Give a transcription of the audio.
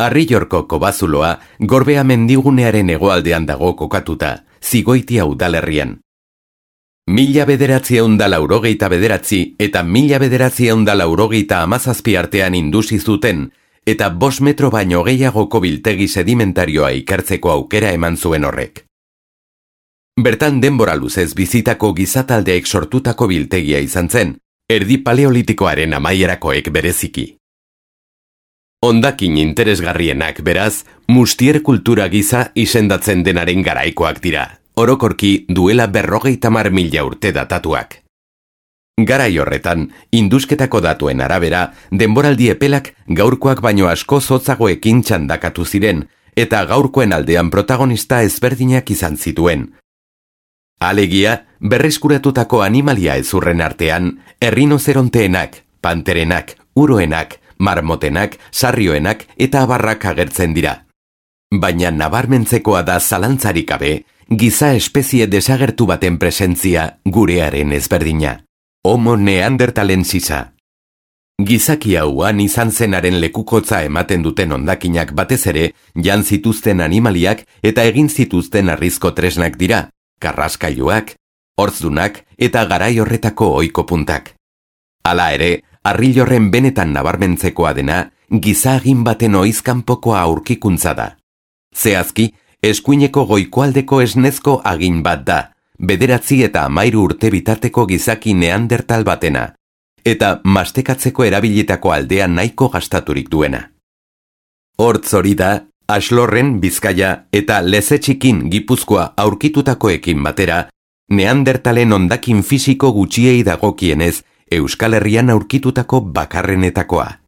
Arrillorko kobazuloa Gorbea mendigunearen hegoaldean dago kokatuta, Zigoitia udalerrian. 1989 eta 1997 artean indusi zuten, eta 5 metro baino gehiagoko biltegi sedimentarioa ikertzeko aukera eman zuen horrek. Bertan denbora luzez bizitako gizataldeek sortutako biltegia izan zen, erdi paleolitikoaren amaierakoek bereziki. Hondakin interesgarrienak beraz, mustier kultura giza izendatzen denaren garaikoak dira, orokorki duela 50.000 urte datatuak. Garai horretan, indusketako datuen arabera, denboraldi epelak gaurkoak baino asko zotzagoekin txandakatu ziren, eta gaurkoen aldean protagonista ezberdinak izan zituen. Alegia, berreskuratutako animalia ezurren artean, errinozeronteenak, panterenak, uroenak, marmotenak, sarrioenak eta abarrak agertzen dira. Baina nabarmentzekoa da zalantzarik gabe, giza espezie desagertu baten presentzia gurearen ezberdina. Homo neanderthalensis. Gizaki hauan izan zenaren lekukotza ematen duten hondakinak batez ere, jan zituzten animaliak eta egin zituzten harrizko tresnak dira, karraskailuak, hortzdunak eta garai horretako ohiko puntak. Hala ere, Arrillorren benetan nabarmentzekoa dena, gizagin baten oizkanpokoa aurkikuntza da. Zehazki, eskuineko goikoaldeko esnezko agin bat da, 9 eta 13 urte bitarteko gizaki neandertal batena, eta mastekatzeko erabilitako aldean nahiko gastaturik duena. Hortz hori da, Axlorren, Bizkaia eta Lezetxikin Gipuzkoa aurkitutakoekin batera, neandertalen hondakin fisiko gutxiei dagokienez, Euskal Herrian aurkitutako bakarrenetakoa.